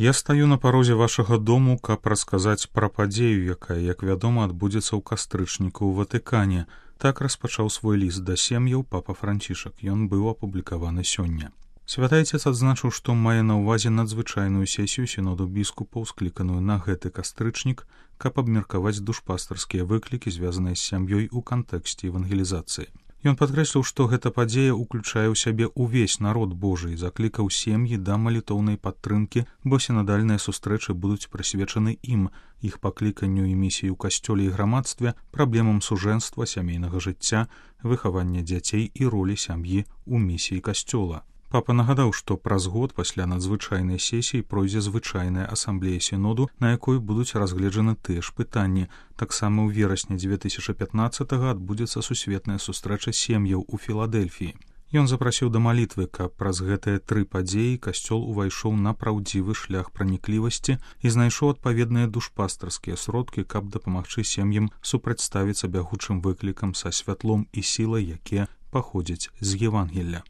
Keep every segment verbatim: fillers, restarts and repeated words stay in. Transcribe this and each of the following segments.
Я стаю на парозе вашага дому, каб расказаць пра падзею, якая, як вядома, адбудзецца ў кастрычніку ў Ватыкане. Так распачаў свой ліст да сем'яў папа Францішак. Ён быў апублікаваны сёння. Святы Отец адзначыў, што мае на ўвазе надзвычайную сесію сіноду біскупаў, скліканую на гэты кастрычнік, каб абмеркаваць душпастарскія выклікі, звязаныя з сям'ёй у кантэксце евангелізацыі. Ён падкрэсліў, што гэта падзея ўключае ў сябе ўвесь народ Божы і заклікаў сем'і да малітоўнай падтрымкі, бо сінадальныя сустрэчы будуць прысвечаны ім, іх пакліканню і місіі ў касцёле і грамадстве, праблемам сужэнства, сямейнага жыцця, выхавання дзяцей і ролі сям'і ў місіі касцёла. Папа нагадаў, што праз год пасля надзвычайнай сесіі пройдзе звычайная асамблея сіноду, на якой будуць разгледжаны тыя ж пытанні. Таксама ў верасні дзве тысячы пятнаццатага адбудзецца сусветная сустрэча сем'яў у Філадэльфіі. Ён запрасіў да малітвы, каб праз гэтыя тры падзеі касцёл увайшоў на праўдзівы шлях праніклівасці і знайшоў адпаведныя душпастарскія сродкі, каб дапамагчы сем'ям супрацьставіцца бягучым выклікам са святлом і сілай, якія паходзяць з Евангелля.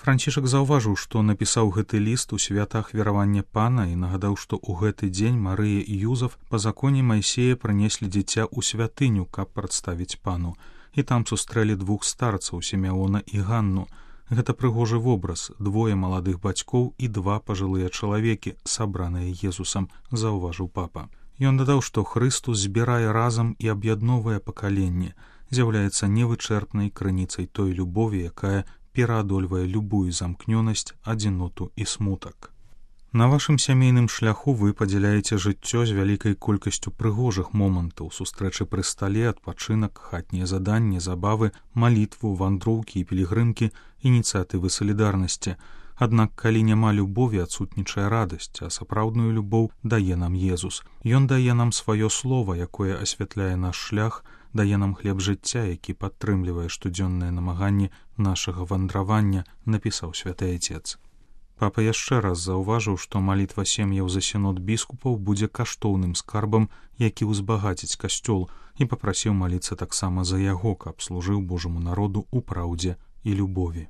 Францішак заўважыў, што напісаў гэты ліст у святах веравання Пана і нагадаў, што ў гэты дзень Марыя і Юзаф па законе Майсея прынеслі дзіця ў святыню, каб прадставіць Пану. І там сустрэлі двух старцаў, Сімеона і Ганну. Гэта прыгожы вобраз, двое маладых бацькоў і два пажылыя чалавекі, сабраныя Езусам, заўважыў папа. Ён дадаў, што Хрыстус збірае разам і аб'ядноўвае пакаленне, з'яўляецца невычэрпнай крыніцай той любові, якая пераадольвае любую замкнёнасць, адзіноту і смутак. На вашым сямейным шляху вы падзяляеце жыццё з вялікай колькасцю прыгожых момантаў, сустрэчы пры стале, адпачынак, хатнія заданні, забавы, малітву, вандроўкі і пілігрымкі, ініцыятывы салідарнасці. Аднак, калі няма любові, адсутнічае радасць, а сапраўдную любоў дае нам Езус. Ён дае нам сваё слова, якое асвятляе наш шлях, дае нам хлеб жыцця, які падтрымлівае штодзённыя намаганні нашага вандравання, напісаў святы Отец. Папа яшчэ раз заўважыў, што малітва сем'яў за сінод біскупаў будзе каштоўным скарбам, які ўзбагаціць касцёл, і папрасіў маліцца таксама за яго, каб служыў Божаму народу ў праўдзе і любові.